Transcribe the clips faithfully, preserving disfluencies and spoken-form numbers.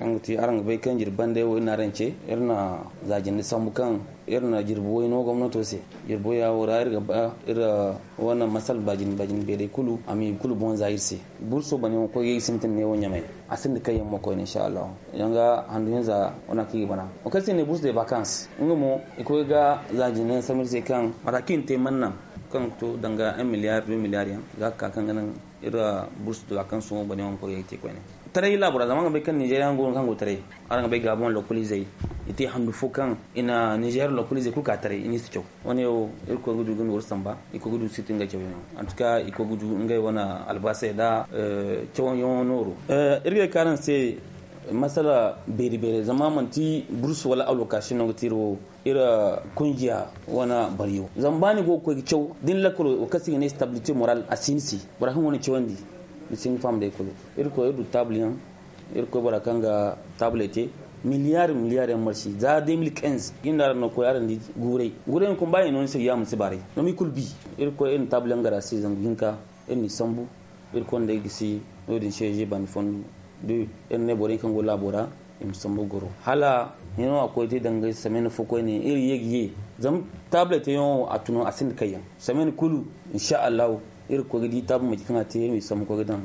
Kaŋ ga ti araŋ ga bay kaŋ jirbi bande wo iri na araŋ ce, iri na za jinde sambu kaŋ iri na jirbi way no gomnato se. Jirbi waya wo ra iri ga ba iri wane masal baajin baajin beeray kulu a ma i kulu boŋ za iri se. Burso bane wo koy ga i sintin ne wo ɲamay. A sinda kayyaŋ mo koyne insha Allah. Yaŋ ga handu hinza wana kaŋ i ga bana. Wo kaŋ se ne burso de vacances nga mo i koy ga za jinde sambu iri se kaŋ mata kaŋ i na te manna kaŋ ga to danga un milliard deux milliard yaŋ ga ka kaŋ ga naŋ iri bursu dula kaŋ sohõ bane wane koy ga te koyne. Taray laabora zama nga bay kaŋ nizeeriya go no kaŋ go taray. Araŋ ga bay gaabon lokoliizey i te handu fo kaŋ i na nizeer lokoliizey kulu ka taray i n'i si caw. Wane wo irkoy ga du ga nooru samba irkoy ga du siti nga cawyaŋo. Antuka irkoy ga du ngey wane albaasey da cawyaŋo nooru. Iri ga ay ka araŋ se masala beeri beeri zama manti bursu wala alwakaasi no ga te iri wo. Iri kunjiya wane bariyo zama ba ni go ga koy ga caw da ni lakkalo wo kaŋ se i ga ne stabilité moral a si ni se. Bora kaŋ go ni cawandi ni si hin ga faham day kulu. Iri koy iri du taabul yaŋ iri koy bora kaŋ ga taabuley te miliyar miliyar yaŋ marsi za deux mille quinze. Iri nda araŋ no koy araŋ di guuray guuray yaŋ kuma ba i no ni se ga yaamar si baaray. Zama i kulu bi iri koy iri na taabul yaŋ gar a se zangu hinka. Iri n'i sambu iri konda ay gisi no- din se je bandi fondo. Iri ne borey kaŋ go laabo ra i ma sambu goro hala hino a koy te danga semaine fo koyne iri ye ga ye. Zama taabuley teyaŋo a tun a sinda kayyaŋ semaine kulu. Insa allahu iri ga koy ga di taabu manci kaŋ a te iri ma i sambu koy ga daŋ.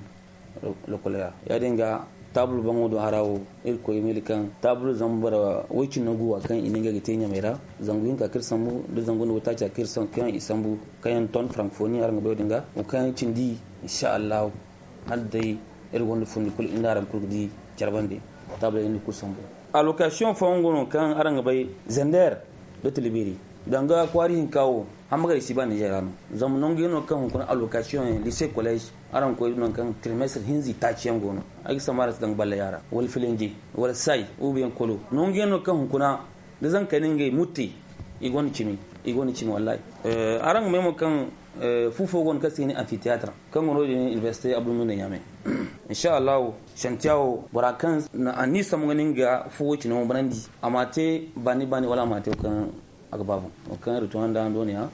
Lokoley ra ya- din ga taabul baŋo do hara wo iri ga koy ga meele kaŋ taabul zama boro way cindi no guwa kaŋ i ne ngey ga te ɲamey ra. Zangu hinka kaŋ iri sambu nda zangu nda waytaaca kaŋ iri sambu kaŋ yaŋ ton frankfoni araŋ ga bay wo- din ga wo kaŋ yaŋ cindi. Insa allahu hala day iri gonda fundi kulu iri nda araŋ kulu ga di care bande. Taabuley iri na kulu sambu. Alwakasiyoŋ fooyaŋ go no kaŋ araŋ ga bay zender nda tilbiri danga kwaari hinka wo. Hamma ga ay si ba nizeer ra no zama nangu yaŋ no kaŋ hunkuna alwakasiyoŋ yaŋ lise kolleez. Araŋ ga koy nangu kaŋ trimestre hinza itaaci yaŋ go no. Ay ga sambu araŋ se danga balleya ra wala filinje wala say ubiyaŋ kolo nangu yaŋ no kaŋ hunkuna da zankey na ngey mutte. I gonda cimi i gonda cimi wallahi. Araŋ ga may mo kaŋ fu fo go no kaŋ se i ga ne amfithéâtre kaŋ go no- din université abdulmumina ɲaamay. Insa allahu santiya wo bora kaŋ a ni sambu ga ni nga fu wo cine wo banandi a ma te baani baani wala a ma te wo kaŋ a ga ba boŋ wo kaŋ iri to handa hando ne ya.